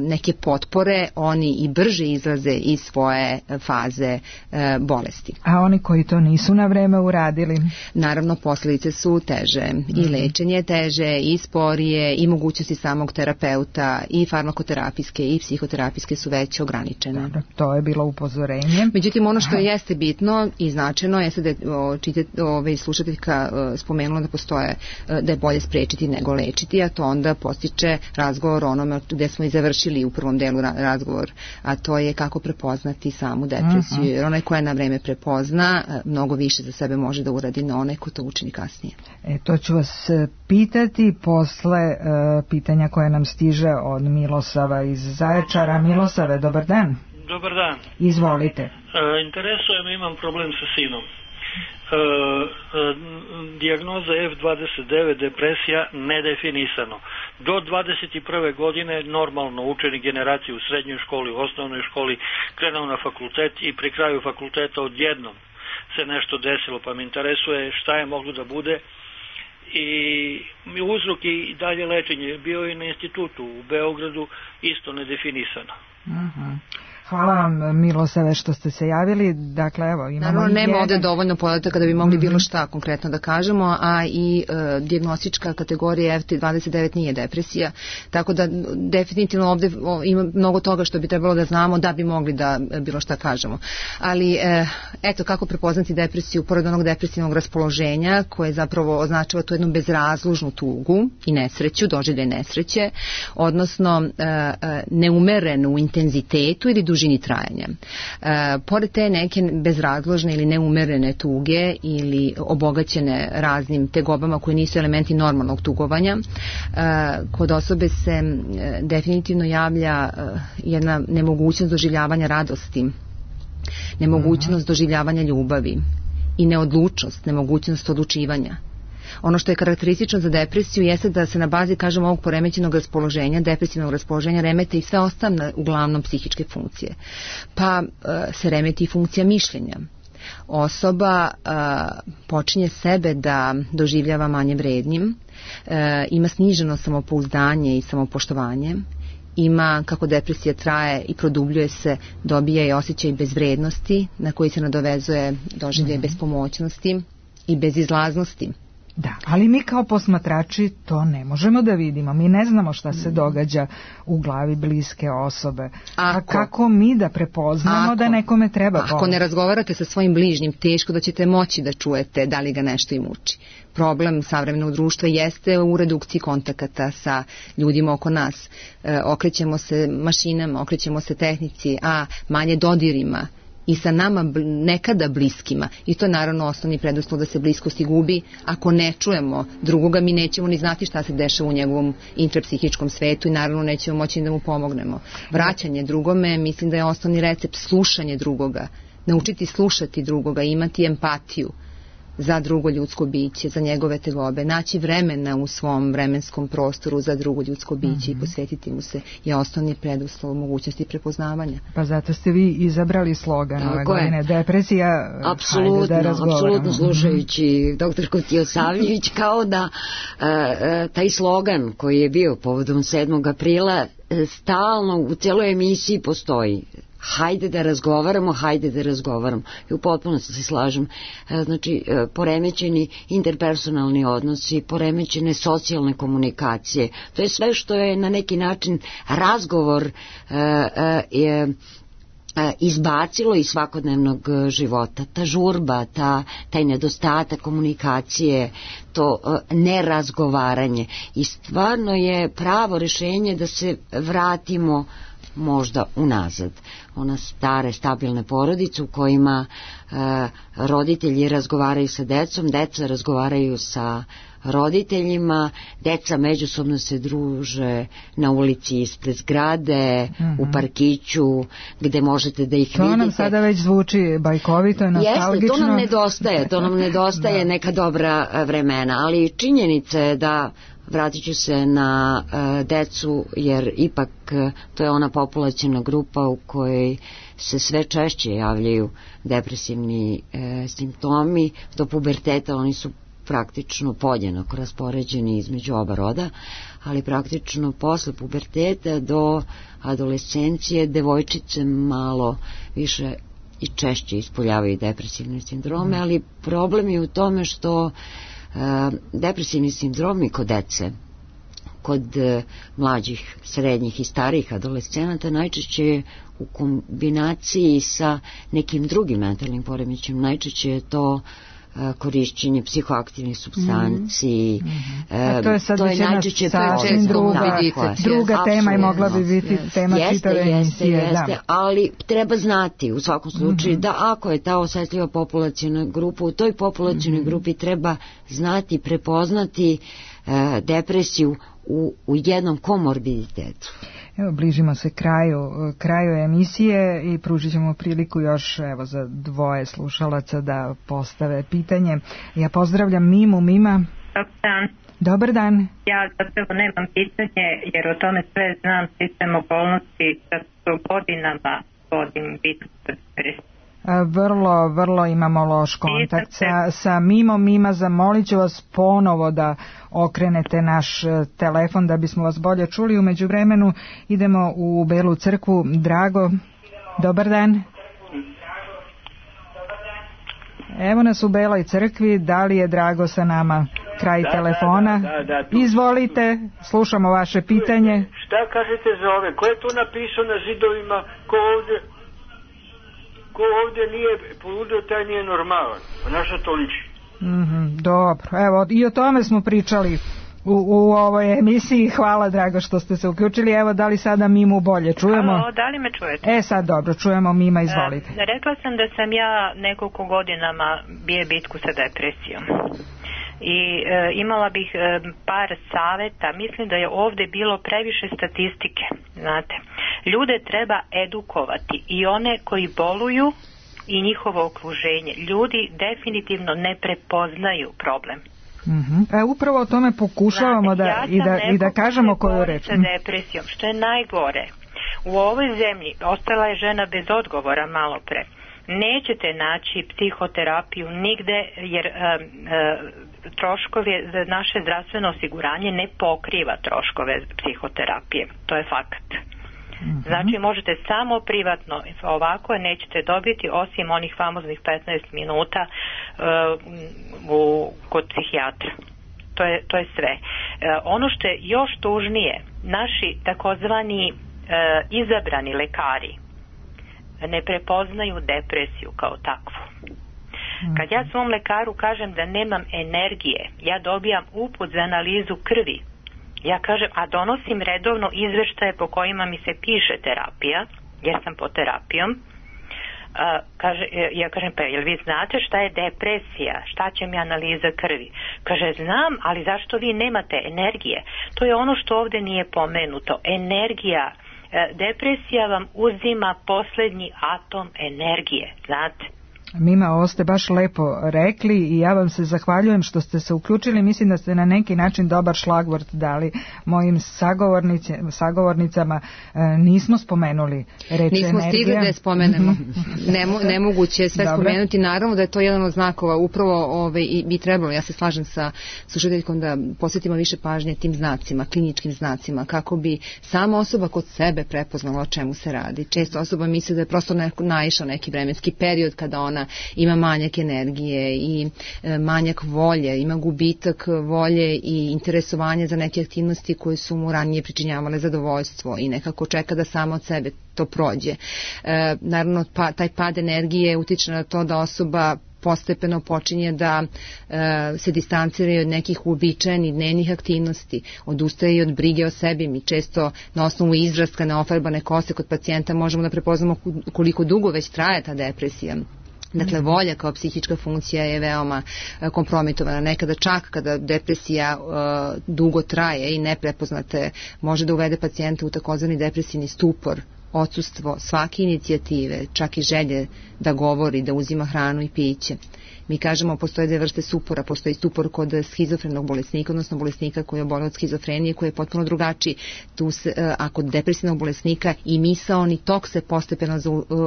neke potpore, oni i brže izlaze iz svoje faze e, bolesti. A oni koji to nisu na vreme uradili? Naravno, posljedice su teže. Mm-hmm. I lečenje je teže, i sporije, i mogućnosti samog terapeuta, i farmakoterapijske, i psihoterapijske su već ograničene. Dobro, to je bilo upozorenje. Međutim, ono što jeste bitno i značajno jeste da je ove slušateljka spomenula da postoje, da je bolje sprečiti nego lečiti, a to onda postiče razgovor onome gde smo i završili u prvom delu razgovor, a to je kako prepoznati samu depresiju, jer onaj koja na vreme prepozna mnogo više za sebe može da uradi na onaj ko to učini kasnije. E, to ću vas pitati posle uh, pitanja koje nam stiže od Milosava iz Zaječara. Milosave, dobar dan. Dobar dan. Izvolite. E, interesuje me, imam problem sa sinom. E, e, dijagnoza F dvadeset devet, depresija, nedefinisano. Do dvadeset prve godine normalno učenik generacije u srednjoj školi, u osnovnoj školi, krenuo na fakultet i pri kraju fakulteta odjednom se nešto desilo, pa me interesuje šta je moglo da bude i uzrok i dalje lečenje. Bio je na institutu u Beogradu, isto nedefinisano. Uh-huh. Hvala vam, Milosave, što ste se javili. Dakle, evo, imamo Naravno, nema jedan... ovde dovoljno podataka da bi mogli bilo šta konkretno da kažemo, a i e, dijagnostička kategorija F dvadeset devet nije depresija, tako da definitivno ovde o, ima mnogo toga što bi trebalo da znamo da bi mogli da bilo šta kažemo. Ali, e, eto, kako prepoznati depresiju, pored onog depresivnog raspoloženja, koje zapravo označava tu jednu bezrazložnu tugu i nesreću, doživljaj nesreće, odnosno e, e, neumerenu u intenzitetu ili dužini trajanja. E, pored te neke bezrazložne ili neumerene tuge ili obogaćene raznim tegobama koje nisu elementi normalnog tugovanja, e, kod osobe se e, definitivno javlja e, jedna nemogućnost doživljavanja radosti, nemogućnost doživljavanja ljubavi i neodlučnost, nemogućnost odlučivanja. Ono što je karakteristično za depresiju jeste da se na bazi, kažemo, ovog poremećenog raspoloženja, depresivnog raspoloženja, remete i sve ostane uglavnom psihičke funkcije. Pa e, se remeti i funkcija mišljenja. Osoba e, počinje sebe da doživljava manje vrednim, e, ima sniženo samopouzdanje i samopoštovanje, ima, kako depresija traje i produbljuje se, dobija i osjećaj bezvrednosti na koji se nadovezuje doživljaj mm-hmm. bespomoćnosti i bezizlaznosti. Da, ali mi kao posmatrači to ne možemo da vidimo. Mi ne znamo šta se događa u glavi bliske osobe. Ako, a kako mi da prepoznamo ako, da nekome treba pomoći? Ako ne razgovarate sa svojim bližnjim, teško da ćete moći da čujete da li ga nešto i muči. Problem savremenog društva jeste u redukciji kontakata sa ljudima oko nas. E, okrećemo se mašinama, okrećemo se tehnici, a manje dodirima i sa nama nekada bliskima, i to je naravno osnovni preduslov da se bliskosti gubi. Ako ne čujemo drugoga, mi nećemo ni znati šta se dešava u njegovom intrapsihičkom svetu i naravno nećemo moći da mu pomognemo. Vraćanje drugome, mislim da je osnovni recept slušanje drugoga, naučiti slušati drugoga, imati empatiju, za drugo ljudsko biće, za njegove tegobe, naći vremena u svom vremenskom prostoru za drugo ljudsko biće mm-hmm. i posvetiti mu se je osnovni preduslov mogućnosti prepoznavanja. Pa zato ste vi izabrali slogan ove godine, depresija, apsolutno, hajde da razgovaramo. Apsolutno, slušajući doktorku Tijosavljević, kao da uh, uh, taj slogan koji je bio povodom sedmog aprila stalno u celoj emisiji postoji. Hajde da razgovaramo, hajde da razgovaramo. I u potpunosti se slažem. Znači, poremećeni interpersonalni odnosi, poremećene socijalne komunikacije. To je sve što je na neki način razgovor je izbacilo iz svakodnevnog života. Ta žurba, ta, taj nedostatak komunikacije, to nerazgovaranje. I stvarno je pravo rešenje da se vratimo možda unazad. Ona stare, stabilne porodice u kojima e, roditelji razgovaraju sa decom, deca razgovaraju sa roditeljima, deca međusobno se druže na ulici ispred zgrade, mm-hmm. u parkiću, gde možete da ih to vidite. To nam sada već zvuči bajkovito, nostalgično. Jeste, to nam nedostaje, to nam nedostaje neka dobra vremena, ali činjenica je da vratit ću se na uh, decu, jer ipak uh, to je ona populaciona grupa u kojoj se sve češće javljaju depresivni uh, simptomi. Do puberteta oni su praktično podjednako raspoređeni između oba roda, ali praktično posle puberteta do adolescencije devojčice malo više i češće ispoljavaju depresivne sindrome, ali problem je u tome što Uh, depresivni sindromi kod dece, kod uh, mlađih, srednjih i starijih adolescenata najčešće u kombinaciji sa nekim drugim mentalnim poremećajem, najčešće je to uh, korišćenje psihoaktivnih supstanci. Mm-hmm. Uh, to je sad to je najčešće sasvim druga, druga tema i mogla bi biti yes. tema jeste, čitave emisije. Jeste, jeste, ali treba znati u svakom slučaju mm-hmm. da ako je ta osetljiva populacijna grupa, u toj populacijnoj mm-hmm. grupi treba znati, prepoznati uh, depresiju u, u jednom komorbiditetu. Evo, bližimo se kraju, kraju emisije i pružit ćemo priliku još evo, za dvoje slušalaca da postave pitanje. Ja pozdravljam Mimu. Mima. Dobar dan. Dobar dan. Ja zapravo nemam pitanje jer o tome sve znam, sistem okolnosti da su godinama vodim bitku pod depresijom. Vrlo, vrlo imamo loš kontakt sa, sa Mimom. Mima, zamolit ću vas ponovo da okrenete naš telefon da bismo vas bolje čuli. U međuvremenu idemo u Belu crkvu. Drago, dobar dan. Evo nas u Beloj crkvi. Da li je Drago sa nama? Kraj da, telefona. Da, da, da, da, izvolite, slušamo vaše pitanje. Šta kažete za ove? Ko je to napisao na zidovima? Ko ovdje... ko ovdje nije poludio, taj nije normalan. Na što to liči? Mm-hmm, dobro, evo i o tome smo pričali u, u ovoj emisiji. Hvala, Drago, što ste se uključili. Evo, da li sada Mimu bolje čujemo? Alo, da li me čujete? E, sad dobro, čujemo Mima, izvolite. E, rekla sam da sam ja nekoliko godinama bije bitku sa depresijom. I e, imala bih e, par saveta. Mislim da je ovdje bilo previše statistike, znate. Ljude treba edukovati, i one koji boluju i njihovo okruženje. Ljudi definitivno ne prepoznaju problem. Mm-hmm. E, upravo o tome pokušavamo znate, da, ja i, da, i da kažemo koju reč. Sa depresijom, što je najgore. U ovoj zemlji ostala je žena bez odgovora malo pre. Nećete naći psihoterapiju nigde jer um, uh, troškovi za naše zdravstveno osiguranje ne pokriva troškove psihoterapije. To je fakat. Mm-hmm. Znači možete samo privatno, ovako nećete dobiti osim onih famoznih petnaest minuta uh, u, kod psihijatra. To je, to je sve. Uh, ono što je još tužnije, naši takozvani uh, izabrani lekari ne prepoznaju depresiju kao takvu. Kad ja svom lekaru kažem da nemam energije, ja dobijam uput za analizu krvi. Ja kažem, a donosim redovno izveštaje po kojima mi se piše terapija, jer sam po terapijom. A, kaže, ja kažem, pa jel vi znate šta je depresija? Šta će mi analiza krvi? Kaže, znam, ali zašto vi nemate energije? To je ono što ovdje nije pomenuto. Energija. Depresija vam uzima posljednji atom energije, znate. Mima, ovo ste baš lepo rekli i ja vam se zahvaljujem što ste se uključili. Mislim da ste na neki način dobar šlagvort dali mojim sagovornicama. E, nismo spomenuli reč nismo energija. Nismo stigli da je spomenemo. Nemo, nemoguće je sve Dobre. spomenuti. Naravno da je to jedan od znakova. Upravo ove, i bi trebalo, ja se slažem sa slušateljkom, da posvetimo više pažnje tim znacima, kliničkim znacima, kako bi sama osoba kod sebe prepoznala o čemu se radi. Često osoba misli da je prosto neko, naišao neki vremenski period kada ona ima manjak energije i e, manjak volje, ima gubitak volje i interesovanje za neke aktivnosti koje su mu ranije pričinjavale zadovoljstvo i nekako čeka da samo od sebe to prođe. E, naravno, pa, taj pad energije utiče na to da osoba postepeno počinje da e, se distancira od nekih uobičajenih dnevnih aktivnosti, odustaje i od brige o sebi. Mi često na osnovu izraska neofarbane kose kod pacijenta možemo da prepoznamo koliko dugo već traje ta depresija. Dakle, volja kao psihička funkcija je veoma kompromitovana. Nekada čak kada depresija uh, dugo traje i neprepoznate, može da uvede pacijenta u takozvani depresivni stupor, odsustvo svake inicijative, čak i želje da govori, da uzima hranu i piće. Mi kažemo, postoje dve vrste stupora. Postoji stupor kod schizofrenog bolesnika, odnosno bolesnika koji je oboleo od schizofrenije, koji je potpuno drugačiji. Tu se, a kod depresivnog bolesnika i misaoni tok se postepeno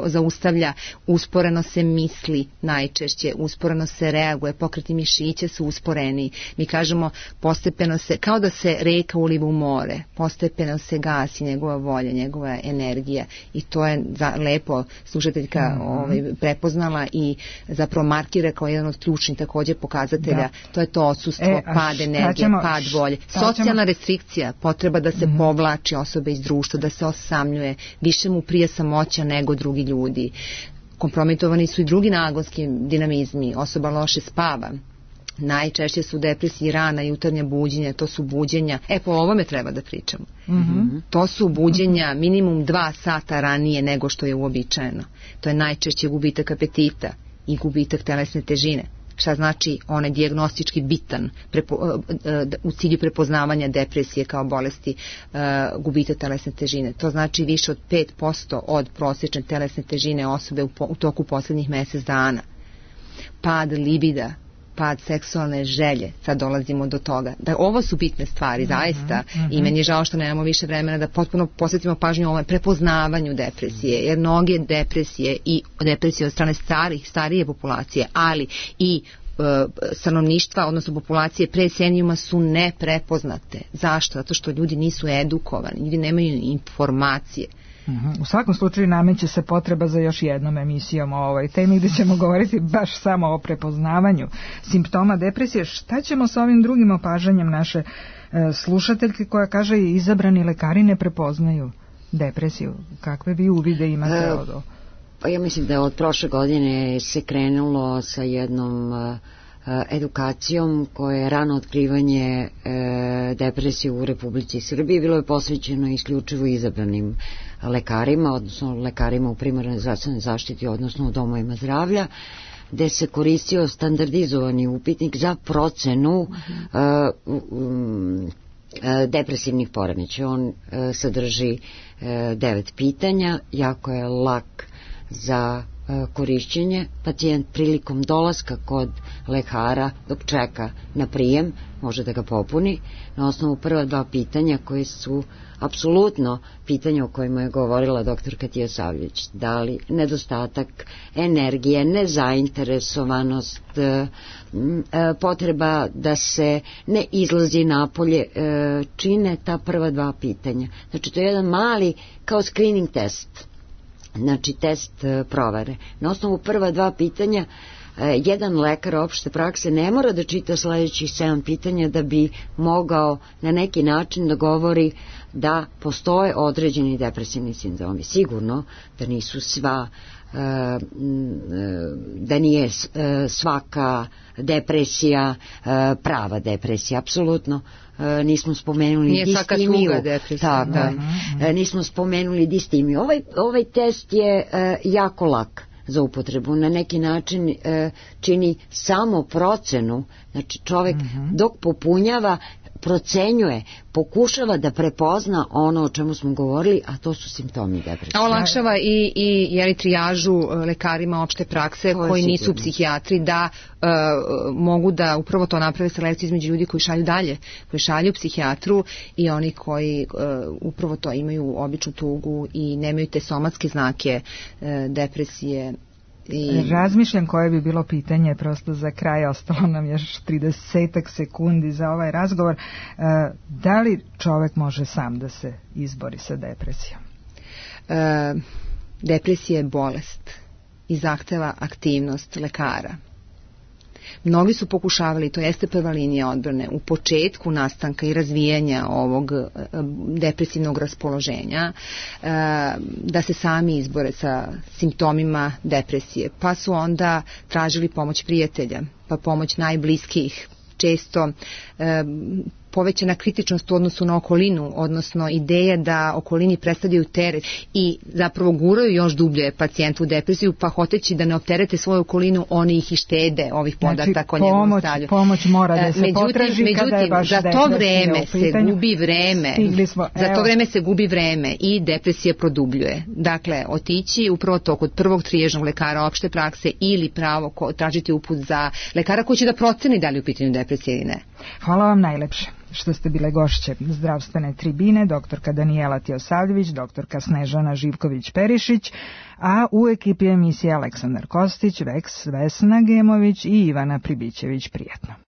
zaustavlja, usporeno se misli najčešće, usporeno se reaguje, pokreti mišića su usporeni. Mi kažemo, postepeno se, kao da se reka uliva u more, postepeno se gasi njegova volja, njegova energija i to je za, lepo slušateljka mm-hmm. ovaj, prepoznala i zapravo markira kao jedan od ključnih također pokazatelja, da. To je to odsustvo, e, pad energije, ćemo, pad volje. Socijalna ćemo... restrikcija, potreba da se mm-hmm. povlači osobe iz društva, da se osamljuje, više mu prije samoća nego drugi ljudi. Kompromitovani su i drugi nagonski dinamizmi, osoba loše spava. Najčešće su depresiji rana, jutarnja buđenja, to su buđenja, e po ovome treba da pričamo. Mm-hmm. To su buđenja minimum dva sata ranije nego što je uobičajeno. To je najčešće gubitak apetita i gubitak telesne težine. Šta znači on je dijagnostički bitan prepo, u cilju prepoznavanja depresije kao bolesti uh, gubitak telesne težine. To znači više od pet posto od prosječne telesne težine osobe u, po, u toku posljednjih mjesec dana. Pad libida, pad seksualne želje, sad dolazimo do toga. Da, ovo su bitne stvari, mm-hmm, zaista, mm-hmm. i meni je žao što nemamo više vremena da potpuno posvetimo pažnju ovome prepoznavanju depresije, jer mnoge depresije i depresije od strane starih, starije populacije, ali i e, stanovništva, odnosno populacije pre senijuma su neprepoznate. Zašto? Zato što ljudi nisu edukovani, ljudi nemaju informacije. Uh-huh. U svakom slučaju nameće se potreba za još jednom emisijom o ovoj temi gdje ćemo govoriti baš samo o prepoznavanju simptoma depresije. Šta ćemo sa ovim drugim opažanjem naše e, slušateljke koja kaže izabrani lekari ne prepoznaju depresiju? Kakve vi uvide imate od ovo? Pa ja mislim da je od prošle godine se krenulo sa jednom uh, edukacijom koja je rano otkrivanje e, depresije u Republici Srbiji. Bilo je posvećeno isključivo izabranim lekarima, odnosno lekarima u primarnoj zdravstvenoj zaštiti, odnosno u domovima zdravlja, gde se koristio standardizovani upitnik za procenu uh-huh. uh, um, depresivnih poremećaja. On uh, sadrži uh, devet pitanja, jako je lak za korišćenje. Pacijent prilikom dolaska kod lekara dok čeka na prijem može da ga popuni na osnovu prva dva pitanja koje su apsolutno pitanja o kojima je govorila doktorka Tijosavljević. Da li nedostatak energije, nezainteresovanost, potreba da se ne izlazi napolje, čine ta prva dva pitanja. Znači to je jedan mali kao screening test, znači test e, provere. Na osnovu prva dva pitanja e, jedan lekar opšte prakse ne mora da čita sledećih sedam pitanja da bi mogao na neki način da govori da postoje određeni depresivni sindromi. Sigurno da nisu sva e, da nije e, svaka depresija e, prava depresija, apsolutno. E, nismo spomenuli nije distimiju, tako, da. e, nismo spomenuli distimiju. Ovaj, ovaj test je e, jako lak za upotrebu, na neki način e, čini samo procenu, znači čovek mm-hmm. dok popunjava procenjuje, pokušava da prepozna ono o čemu smo govorili, a to su simptomi depresije. Olakšava i, i jeli, trijažu lekarima opšte prakse to koji nisu psihijatri da uh, mogu da upravo to naprave selekciju između ljudi koji šalju dalje, koji šalju psihijatru i oni koji uh, upravo to imaju običnu tugu i nemaju te somatske znake uh, depresije. I... Razmišljam koje bi bilo pitanje prosto za kraj, ostalo nam još tridesetak sekundi za ovaj razgovor. Da li čovek može sam da se izbori sa depresijom? E, depresija je bolest i zahteva aktivnost lekara. Mnogi su pokušavali, to jeste prva linija odbrane, u početku nastanka i razvijanja ovog depresivnog raspoloženja, da se sami izbore sa simptomima depresije. Pa su onda tražili pomoć prijatelja, pa pomoć najbliskijih, često povećana kritičnost u odnosu na okolinu, odnosno ideja da okolini predstavljaju teret i zapravo guraju još dublje pacijentu u depresiju, pa hoteći da ne opterete svoju okolinu, oni ih i štede ovih podataka znači, o njegovom stavlju. Pomoć mora da se međutim, potraži međutim, kada je baš za to vreme se gubi vreme. Smo, za to vreme se gubi vreme i depresija produbljuje. Dakle, otići upravo to kod prvog triježnog lekara opšte prakse ili pravo ko, tražiti uput za lekara koji će da proceni da li je u pitanju depresija ili ne. Hvala vam najlepše što ste bile gošće zdravstvene tribine, doktorka Danijela Tijosavljević, doktorka Snežana Živković-Perišić, a u ekipi emisije Aleksandar Kostić, Veks, Vesna Gemović i Ivana Pribićević. Prijetno.